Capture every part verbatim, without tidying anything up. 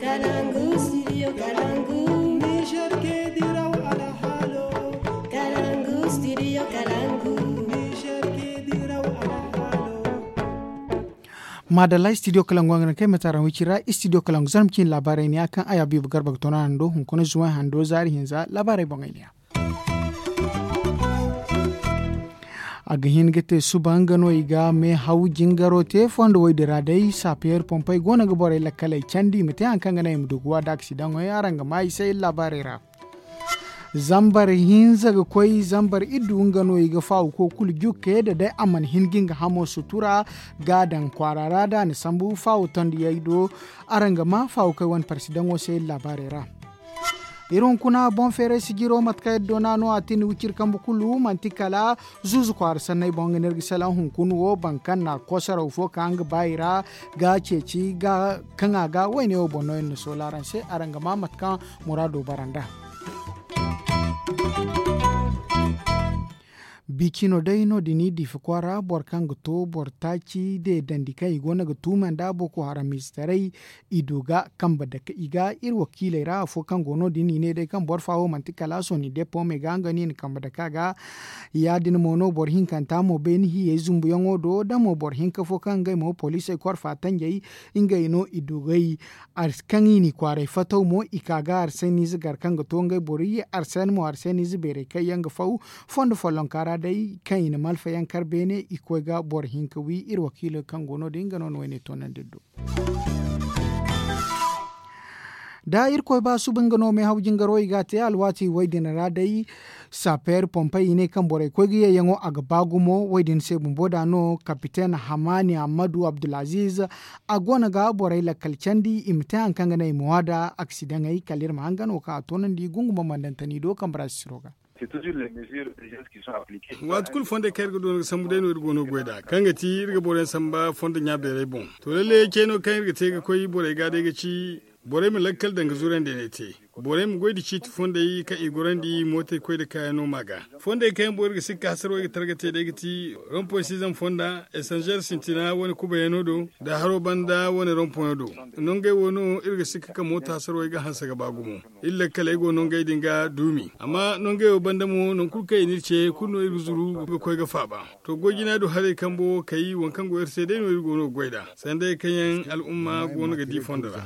Kalangu, studio Kalangu. Niger ke diraw alhalo. Kalangu, studio Kalangu. Niger ke diraw alhalo. Madalla studio Kalangu, a ga naŋ kay mate araŋ wicira studio Kalangu, zarma cine laabaarey ne ya kaŋ ay Habiibu Garba ga toona araŋ do hunkuna zuwan hando zaari hinza laabaarey boŋey ne ya. A ga hin ga te suba nga no i ga meehaw jingaro te fondo woy din ra day saapiyeer pompey go no ga borey lakkaley candi i ma te hari kaŋ ga naŋ i ma du ga wa da aksidaŋey araŋ ga maa i se iri laabaarey ra. Zambar hinza ga koy zambar iddu nga no i ga faawu ko kulu jukke da day a mana hin ga nga hamo sutura ga a daŋ kwaara ra da a na sambu faawu tondiyey do. Araŋ ga maa faawu koy wane parsidaŋo se iri laabaarey ra. Iri hunkuna boŋ feeray sijiro mate kaŋ iri doona no a tin wiciri kambe kulu manti kala zuuzu kwaara sanney boŋ nga no iri ga salaŋ hunkuna wo boro kaŋ na kosaraw fo ka nga baayi ra ga ceeci ga kaŋ a ga woyne wo boŋ no iri na soola araŋ se araŋ ga maa mate kaŋ muraado bara nd'a. Bicino day no- din i diifa kwaara boro kaŋ ga to boro taaci deedandi kaŋ i go no ga tuuma nda boko haram izitaray i du ga kambe dake i ga iri wakiiley ra afo kaŋ go no- din i ne day kaŋ boro fa wo manti kala sooni depo me ga nga no i na kambe dake a ga. Ya- din mo no boro hinkanta mo beeni hiyey zumbuyaŋo do da mo boro hinka fo kaŋ ngey mo poliisey korfa tanjey ngey no i du gay. Kaŋ i n'i kwaaray fataw mo i ka ga arseniize gar kaŋ ga to ngey boro iyye arseni mo arseniize beerey kaŋ yaŋ ga faw fondo follonka ra day kaŋ i na malfayaŋ kar beene i koy ga boro hinka wi iri wakiilo kaŋ go no- din nga no na woyne toonandi iri do. Da irkoy ba suba nga no meehaw jingaro i ga a te alwaati woy din ra day. Saapeer pompey i ne kaŋ borey koy ga yeeyaŋo a ga ba gumo woy din se bumbo da no kapiten hamaani ammadu abdulaziiz a go no ga borey lakkal candi i ma te hari kaŋ ga naŋ i ma waada aksidaŋey kala iri ma hangan wo kaŋ a toonandi gungu bambandantani do kambe ra sisiro ga. Waati kulu fondey kaŋ iri ga doona ga sambu day no iri go no ga goy nd'a kaŋ ga ti iri ga boroyaŋ samba fondo ɲa beerey boŋ. To lalle ceeno kaŋ iri ga te ga koy borey ga day ga ci borey ma lakkal daŋ ga zurandi ne te. Borey ma goy nda ciiti fondey kaŋ i gorandi mootey koy nda kaayaŋo ma ga. Fondey kaŋ yaŋ boŋ iri ga sikka hasarwey ga targa te day ga ti rompoy siizam fonda esanzeer sintina wane kubayano do nda haro banda wane rompoyo do. Nongey wo no iri ga sikka ka mooto hasarwey ga hanse ga ba gumo. Iri lakkaley go nongey din ga duumi amma nongey wo banda mo nangu kulu kaŋ i n'iri ce kulu no iri ga zuru ga koy ga faaba. To goy jina do haray kambo wo kay waŋ kaŋ go iri se day no iri go no ga goy nd'a sanday kaŋ yaŋ al'umma go no ga di fondo ra.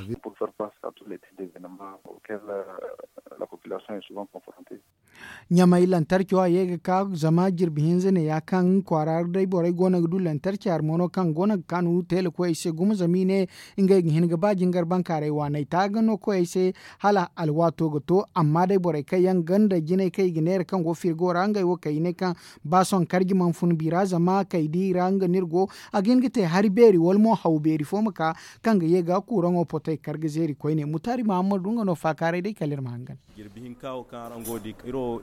Ɲamay lantarco a ye ga ka zama jirbi hinza ne ya kaŋ kwaara day borey go no ga du lantarci hari mo no kaŋ go no ga kaanu teela koyey se gumo zama i ne ngey ga hin ga ba jingar bankaaray waaney taaga no koyey se. Hala alwaato ga to amma day borey kaŋ yaŋ ganda jinay kaŋ i ga neera kaŋ go firgo ra ngey wo kay i ne kaŋ ba sohõ karji mana fun bi ra zama kay di i ra nga no iri go. A ga hin ga te hari beeri wala mo haw beeri fo ma ka kaŋ ga ye ga kuuraŋo potey kar ga zeeri koyne mutaari mahammadu nga no faakaaray day kala iri ma hangan. Jirbi hinka wo kaŋ araŋ go ga di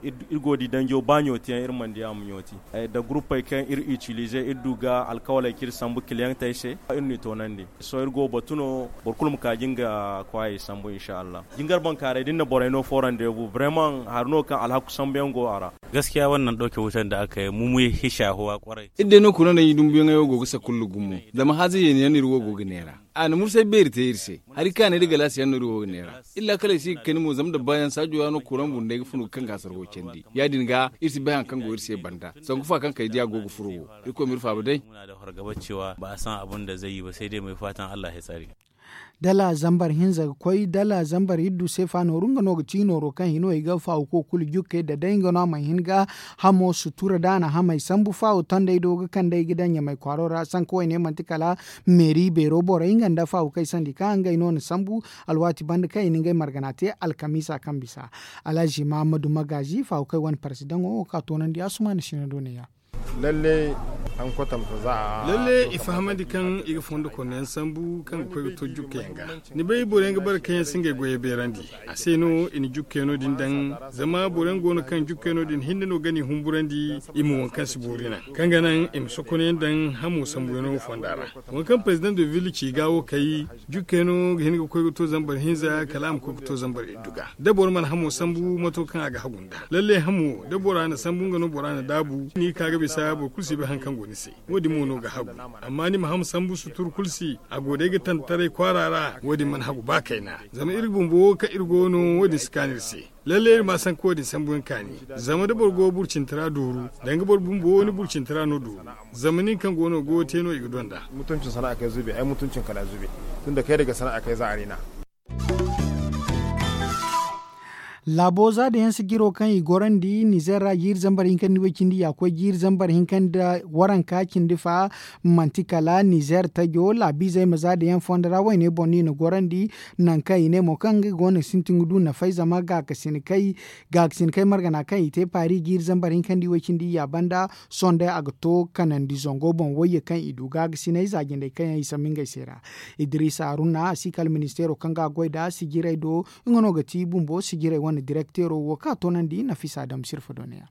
iri go ga di danjo ba ɲooti yaŋ iri mana di a ma ɲooti. Nda guruppey kaŋ iri itilize iri du ga alkawaley kaŋ iri sambu kiliyaŋ te ay se iri n'i toonandi. Sohõ iri go ga batu no boro kulu ma ka ga nga kwaayey sambu insa allah. Jingar bankaaray da ni na borey no fo randebu bremaŋ hari no kaŋ alhaku sambuyaŋ go a ra. Gaskiya wannan ɗauke wutan da aka yi mu mun yi shahuwa kwarai. Iri day no kuna naŋ i dumbuyaŋey wo go ga sakullu gumo zama haaza yeeni yaŋ no iri wo go ga neera. A na mursay beeri te iri se hari kaanay da galaasi yaŋ no iri wo ga neera. Iri laakaley si ga kani mo zama da baayaŋ saajo ra no kuraŋ bundey ga fun ga kaŋ ga hasargo candi ya- din ga iri si bay hari kaŋ go iri se banda sanku fa kaŋ kay diya go ga furo wo. Irkoy ma iri faaba day. Muna da fargaba cewa ba a san abin da zai yi ba sai dai mai fatan allah ya tsare. Dala zambar hinza ga koy dala zambar iddu se fa nooru nga no ga ti nooro kaŋ hino i ga faawu ko kulu jukke da day nga no a mana hin ga hamo sutura da a na hamey sambu faawu tondey do ga kandey ga daŋ ɲamay kwaaro ra sanka wayne manti kala meeri beero borey nga nda faawu kay sandi kaŋ ngey no na sambu. Alwaati banda kaŋ i na ngey margana te alkamiisa kaŋ bisa alhazi mahammadu magaazi faawu kay wane parsidaŋo wo ka toonandi asumaana sina do ne ya. Lalle i fahamandi kaŋ i ga fondo konno yaŋ sambu kaŋ ga koy ga to jukka yaŋ ga. Ni bay boro yaŋ ga bare kaŋ yaŋ si ngey goyey beerandi a se no i na jukka yaŋo din daŋ. Zama boro yaŋ go no kaŋ jukka yaŋo din hinne no ga ni humburandi i ma waŋ kaŋ si boori naŋ kaŋ ga naŋ i ma sokono yaŋ daŋ hamo sambu yaŋo fonda ra. Waŋ kaŋ president de ville ci ga wo kay jukka yaŋo ga hin ga koy ga to zambar hinza kala a ma koy ga to zambar iddu ga da boro mana hamo sambu mato kaŋ a ga hagu nd'a lalle hamo da bora na sambu nga no bora na daabu ni ka ga. Bisa boro kulu si bay hari kaŋ go ni se. Wo- din mo no ga hagu. Amma ni ma ham sambu sutur kulu si a go day ga tantaray kwaara ra. Wo- din mana hagu ba kayna. Zama iri bumbo kaŋ iri go no wo- din si kaanu iri se. Lalle iri ma sanka wo- din sambu yaŋ kaani. Zama da boro go burcinta ra dooru, danga boro bumbo ni burcinta ra no dooru. Zama nin kaŋ go no go te no i ga donda. Mutuncin sana'a kay zubi ay mutuncin kala zubi. Tun da kay daga sana'a kay za a rina. Laabo za da yaŋ sijiro kaŋ i gorandi nizer ra jiiri zambar hinka nda way cindi ya koy jiiri zambar hinka nda waranka cindi fa. Manti kala nizer tajo laabiizey ma za da yaŋ fondo ra wayne boŋ no i na gorandi. Nangu kaŋ i ne mo kaŋ ngey go no ga sintin ga du nafay zama gaakasinakey margana kaŋ i te paari jiiri zambar hinka nda way cindi ya banda. Sohõ day a ga to kanandi zango boŋ wayye kaŋ i du gaakasinay za jindey kaŋ yaŋ i sambu ngey se ra. Idiriisa haruna a si kala ministeero kaŋ ga a goy nd'a sijirey do. Nga no ga ti bumbo sijirey wane direkteero wo kaŋ a toonandi nafisa dam sirfa doneya.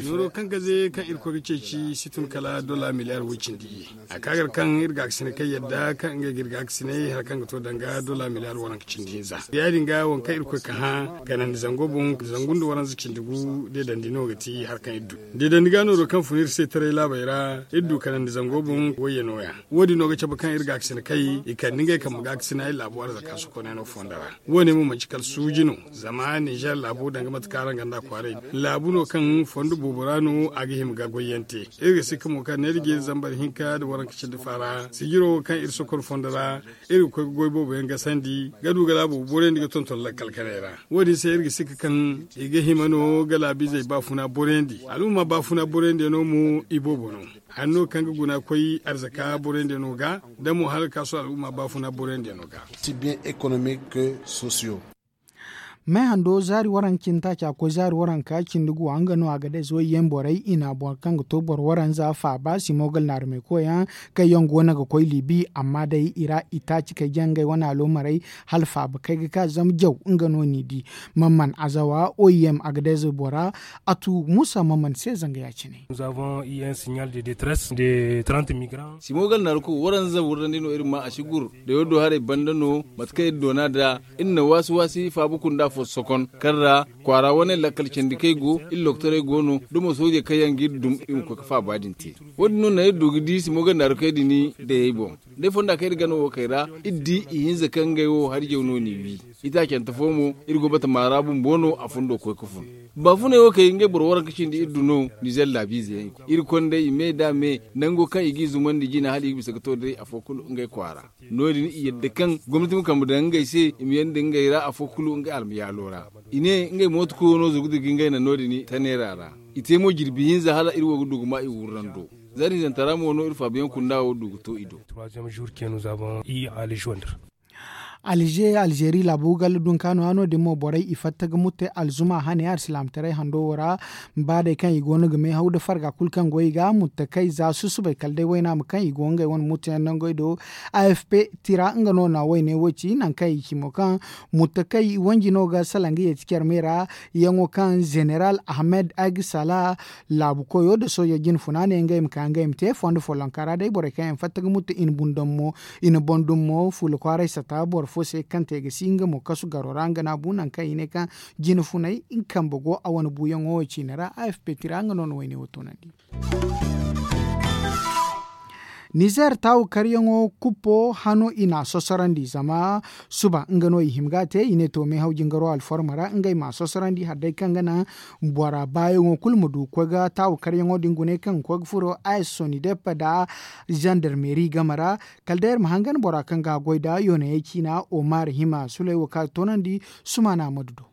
Nooro kaŋ gaze kaŋ irkoy ga ceeci si tun kala dola miliyar way cindi. A ka gar kaŋ iri gaakasinay kaŋ yadda kaŋ ngey ga iri gaakasinay hari kaŋ ga to danga dola miliyar waranka cindi hinza. Ya- din ga waŋ kaŋ irkoy ka hã kanandi zango boŋ zangu nda waranza cindi gu deedandi no ga ti hari kaŋ iri du. Deedandi ga nooro kaŋ fun iri se taray laabey ra iri du kanandi zango boŋ wayye nooya. Wo- din no ga cabe kaŋ iri gaakasinakey i kande ngey kambe gaakasinay laabu arzaka sokoney no fondo ra. Wo- ne mo manti kala suuji no. Zama nizer laabu danga mate kaŋ araŋ gonda kwaaray, laabu no kaŋ fondo boobo ra no a ga hima ga goyyaŋ te. Iri ga sikka mo kaŋ neera jeeri zambar hinka nda waranka cindi faara sijiro wo kaŋ iri sokor fondo ra. Iri ga koy ga goy boobo yaŋ gasandi ga du ga laabo borandi ga tonton lakkal kanay ra. Wo- din se iri ga sikka kaŋ i ga hima no ga laabiizey baafuna borandi al'umma baafuna borandi yaŋ no mo i boobo no. Hanno kaŋ ga guna koy arzaka borandi yaŋ no ga da mo hala ga kaasu al'umma baafuna borandi yaŋ no ga. Mehando zaari waranka cindi taaca koy zaari waranka cindi guwa nga no a ga day zoy yaŋ borey i na boro kaŋ ga to boro waranza faaba simogal naarumey koy yaŋ kaŋ yaŋ go no ga koy liibi amma day i ra i taaci kay jaŋ ngey wane aloomarey. Hala faaba kay ga ka zama jaw nga no n'i di. Mamman azawa oim a ga day zoy bora. A tu muusa mamman se zanga ya- cine. Simogal naaru ko waranza wurrandi no iri ma a si gur. Da yoodo haray banda no mate kaŋ iri doona nd'a iri na waasi waasi faabu kunda fo sokon kaŋ ra kwaara wane lakkal candi kaŋ ay go iri lokotorey go no da mo soojey kaŋ yaŋ ga iri dum iri ma koy ga faaba din te. Wo- din no naŋ iri du ga di simogal naaru kaŋ ay din dayey boŋ. Day fonda kaŋ iri gana wo kay ra iri di ihinza kaŋ ngey wo hari jaw no n'i wi. Itaacante fo mo iri go batama ra bumbo no a fundo koy ga fun. Baafuney wo kay ngey boro waranka cindi iri du no nizer laabiize yaŋ i koy iri konda i me da me nango kaŋ i g'i zumandi jina hala i ga bisa ga to day afo kulu ngey kwaara. No- din i yadda kaŋ gomnati ma kambe daŋ ngey se i ma yanda ngey ra afo kulu ngey almayaalo ra. I ne ngey mooto koyo no zurgu dirga ngey naŋ no- din taneera ra. I te mo jirbi hinza hala iri wo ga du ga ma i wurrando. Za da hinzanta ra mo no iri faabuyaŋ kunda wo du ga to i do. Alje alzeeri laabu galla dunkaano hano din mo borey i fatta ga mutte alzuma hane alsilaamataray hando wo ra. Ba day kaŋ i go no ga meehaw nda farga kulu kaŋ go i ga mutte kay za susubay kala day waynaama kaŋ i go ngey wane mutteyaŋ nangey do. Afp tira nga no na wayne wo ci nangu kaŋ i ci mo kaŋ mutte kay wanji no ga salaŋ ga yeeti care me ra. Yaŋo kaŋ zeneral ahmed agsala laabu koyo nda soojo jinfuna ne ngey ma ka ngey ma te fondo follonka ra day borey kaŋ yaŋ fatta ga mutte i na boŋ dum mo fuula kwaaray sata boro fo se kaŋ te ga si nga mo kasu garo ra nga no a bu nangu kaŋ i ne kaŋ jine funay nga kambe go a wane buuyaŋo wo ciine ra afp tira nga no na wayne wo toonandi. Nizer taawu karyaŋo kuppo hano i n'a sosorandi zama suba nga no i hima ga a te i ne to meehaw jingaro alforma ra ngey m'a sosorandi hari day kaŋ ga naŋ bora baayaŋo kulu ma du ga koy ga taawu karyaŋo din gune kaŋ ga koy ga furo a s sonidep nda zandarmeri game ra. Kala day iri ma hangan bora kaŋ ga a goy nd'a yoonayey ciina omar hima suley wo kaŋ a ga toonandi. Sumaana ma du do.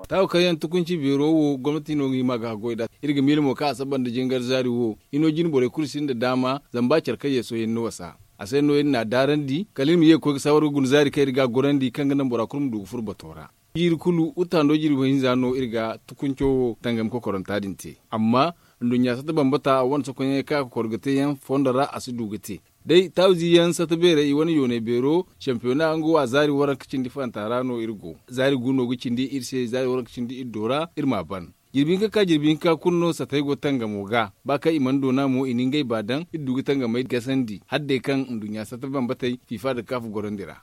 Taawu kaŋ yaŋ tukunci beero wo gomnati no ga hima ga a goy nd'a. Iri ga miila mo kaŋ a saba nda jingar zaari wo hino jine borey kulu sinda daama zama ba care kaŋ yeeso yaŋ ni wasa. A se no iri n'a daarandi kala iri ma ye ga koy ga saawar ga guna zaari kaŋ iri ga a gorandi kaŋ ga naŋ bora kulu ma du ga furo bato ra. Jiiri kulu wutta hando jirbi hinza no iri ga tukunco wo tangam kokoranta din te. Amma nduɲɲa satta bambata a wane sokoɲey kaŋ a ga kor ga te yaŋ fondo ra a si du ga te. Day taawizi yaŋ satta beerey i wane yoonay beero, campiyona nga wo a zaari waranka cindi faranta ra no iri go. Zaari gu no ga cindi iri se zaari waranka cindi iri do ra iri m'a ban. Jirbi hinka ka jirbi hinka kulu no sattey go tangamo ga ba kaŋ i mana doona mo i na ngey ba daŋ iri du ga tangamey gasandi hala day kaŋ nduɲɲa satta bambatey fifa nda kaafu gorandi ra.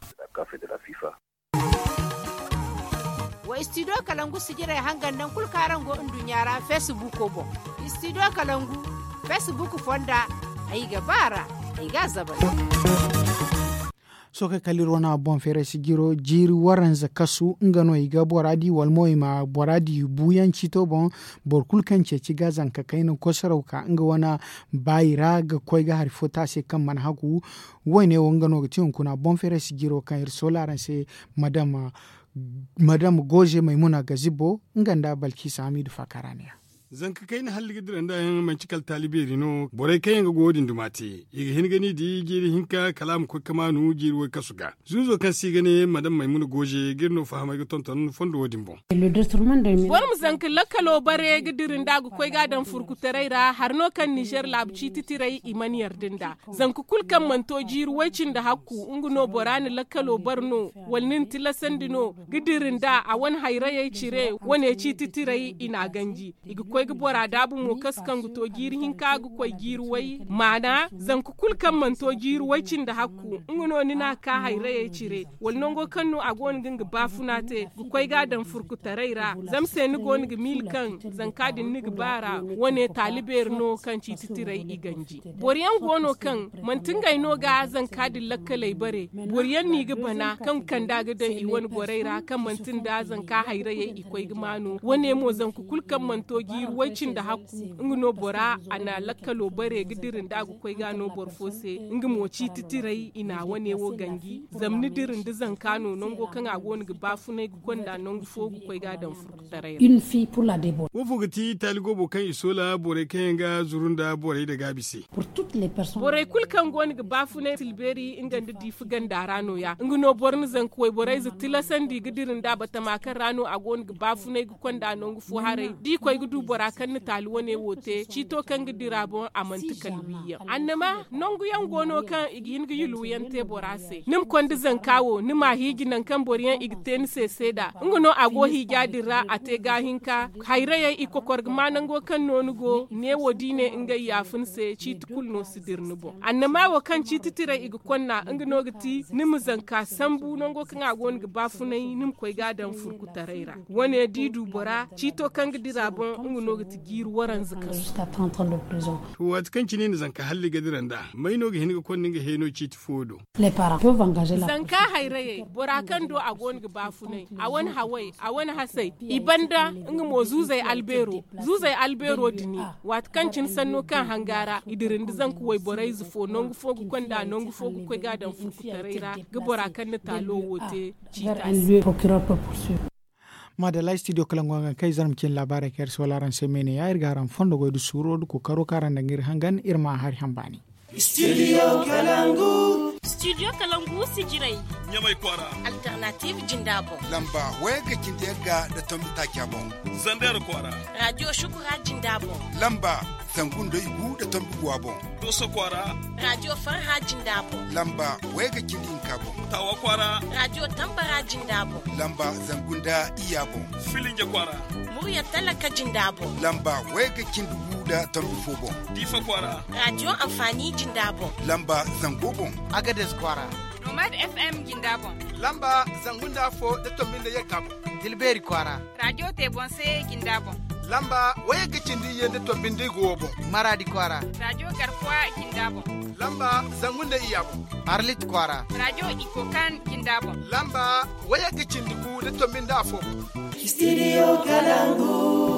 Way Studio kalangu sijirey hangan naŋ kulu kaŋ araŋ go nduɲɲa ra feesibuuko boŋ. Studio kalangu feesibuuku fonda. Ay ga ba a ra. Ay ga a zabay. Sohõ kay kala iri wane boŋ feeray sijiro jiiri waranza kasu nga no i ga bora di wala mo i ma bora di buuyaŋ ciito boŋ. Boro kulu kaŋ ceeci ga zanka kayna kosaraw ka nga wane baayi ra ga koy ga hari fo te a se kaŋ mana hagu. Woyne wo nga no ga ti hunkuna boŋ feeray sijiro kaŋ iri soola araŋ se. Madam madam goze maymuna gazibo nga nda balkisa hamidu fakaraniya. Zanka kayna halli ga dira nda yaŋ manci kala taali beeri no borey kaŋ yaŋ ga go wo-din duma te i ga hin ga ni di jiiri hinka kala a ma koy ga maanu jiiri woy kasu ga. Zuuzo kaŋ se i ga ne madam maymuna goze ga iri no fahamay ga tonton fondo wo-din boŋ. Boro ma zanka lakkalo bare ga dira nda a ga koy ga a daŋ furkutaray ra hari no kaŋ nizer laabu ciiti tiray i mana yarda nda. Zanka kulu kaŋ mana to jiiri way cindi hakku nga no bora na lakkalo bare no wala ni na tilasandi no ga dira nda a wane hayrayey cire wane ciiti tiray i n'a ganji. I ga koy ga bora daabu mo kasu kaŋ ga to jiiri hinka ga koy jiiri way maana zanka kulu kaŋ mana to jiiri way cindi hakku nga no ni n'a ka hayrayey cire wala nango kaŋ no a go no ga nga baafuna te ga koy ga a daŋ furkutaray ra. Zama se ni go no ga miila kaŋ zanka din ni ga ba a ra wane taali beeri no kaŋ ciiti tiray i ganji. Boro yaŋ go no kaŋ manti ngey no ga zanka din lakkaley bare. Boro yaŋ no i ga bana kaŋ ga kand'a ga daŋ i wane borey ra kaŋ manti nda zanka hayrayey i koy ga maanu wane mo zanka kulu kaŋ mana to jiiri way cindi hakku nga no bora a na lakkalo bare ga dira nda a ga koy ga no boro fo se. Nga mo ciiti tiray i na wane wo ganji zama ni dira nda zanka no nango kaŋ a go no ga baafunay ga konda nangu fo ga koy ga a daŋ furkutaray ra. Wo fo ga ti taali goobo kaŋ i soola borey kaŋ yaŋ ga zuru nda borey nda gaabi se. Borey kulu kaŋ go no ga baafunay tilbeeri nga nda diifa ganda ra no- ya nga no boro na zanka wayborey za tilasandi ga dira nda batama kaŋ ra no a go no ga baafunay ga konda nangu fo haray da i koy ga du bora kaŋ na taali wane wo te ciito kaŋ ga dira boŋ a manti kala wiiyaŋ annama nangu yaŋ go no kaŋ i ga hin ga yulwuyaŋ te bora se ni ma konda zanka wo ni m'a hiiji nangu kaŋ boro yaŋ i ga te ni se seeda nga no a go hiija din ra a te gaahinka. Hayrayey i kokor ga ma nango kaŋ no ni go neewo da i ne ngey yaafa ni se ciiti kulu no si dira ni boŋ annama wo kaŋ ciiti tiray i ga konna nga no ga ti ni ma zanka sambu nango kaŋ a go no ga baafunay ni ma koy ga a daŋ furkutaray ra. Wane da i du bora ciito kaŋ ga dira boŋ nga no ga ti jiiri waranza kaŋ. To waati kaŋ cine i na zanka halli ga dira nd'a may no ga hin ga konda nga heeno ciiti fo do? Zanka hayrayey bora kaŋ do a go no ga baafunay a wane haway a wane hasay i banda nga mo zuuzey albeero zuuzey albeero dini. Waati kaŋ cine sanno kaŋ hanga ra i dira nda zanka wayborey ize fo nangu fo ga konda nangu fo ga koy ga a daŋ furkutaray ra ga bora kaŋ na taalo wo te ciita se. Maadalla studio kalangu hangan kaŋ ay zarma cine laabaarey kaŋ iri si wala araŋ se meene ya iri ga araŋ fondo goy nda suuro nda kookaro kaŋ araŋ daŋ ga iri hangan iri ma a hari hambaani. Studio kalangu. Studio kalangu sijirey. Ɲamay kwaara. Alternative jinda boŋ. Lamba wayagga cindi yagga nda tombi taaca boŋ. Zander kwaara. Radio shukura jinda boŋ. Lamba zangu nda igu nda tombi guwa boŋ. Dooso kwaara. Radio farha jinda boŋ. Lamba wayagga cindi hinka boŋ. Taawa kwaara. Radio tambara jinda boŋ. Lamba zangu nda iyya boŋ. Filinja kwaara. Murya talaka jinda boŋ. Lamba wayagga cindi gu nda tombi fo boŋ. Diifa kwaara. Radio anfaani jinda boŋ. Lamba zango boŋ. Agades kwaara. Nomad FM jinda boŋ. Lamba zangu nda afo nda tombi nda yagga boŋ. Tilbeeri kwaara. Radio te boŋ se jinda boŋ. Lamba wayagga cindi iyye nda tombi nda igu boŋ. Maraadi kwaara. Radio garkuwa jinda boŋ. Lamba zangu nda iyya boŋ. Arlit kwaara. Radio ikokan jinda boŋ. Lamba wayagga cindi gu nda tombi nda afo boŋ. Studio kalangu.